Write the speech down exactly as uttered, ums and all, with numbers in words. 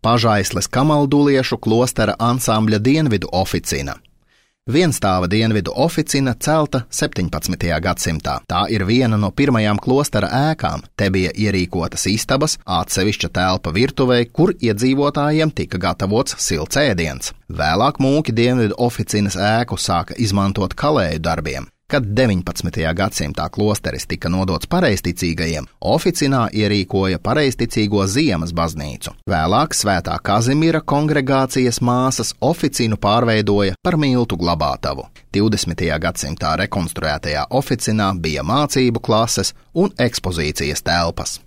Pažaisles kamalduliešu klostera ansambļa dienvidu oficina. Vienstāva dienvidu oficina celta septiņpadsmitajā gadsimtā. Tā ir viena no pirmajām klostera ēkām. Te bija ierīkotas istabas, atsevišķa telpa virtuvei, kur iedzīvotājiem tika gatavots silts ēdiens. Vēlāk mūki dienvidu oficinas ēku sāka izmantot kalēju darbiem. Kad deviņpadsmitajā gadsimtā klosteris tika nodots pareizticīgajiem, oficinā ierīkoja pareizticīgo ziemas baznīcu. Vēlāk Svētā Kazimira kongregācijas māsas oficinu pārveidoja par miltu glabātavu. divdesmitajā gadsimtā rekonstruētajā oficinā bija mācību klases un ekspozīcijas telpas.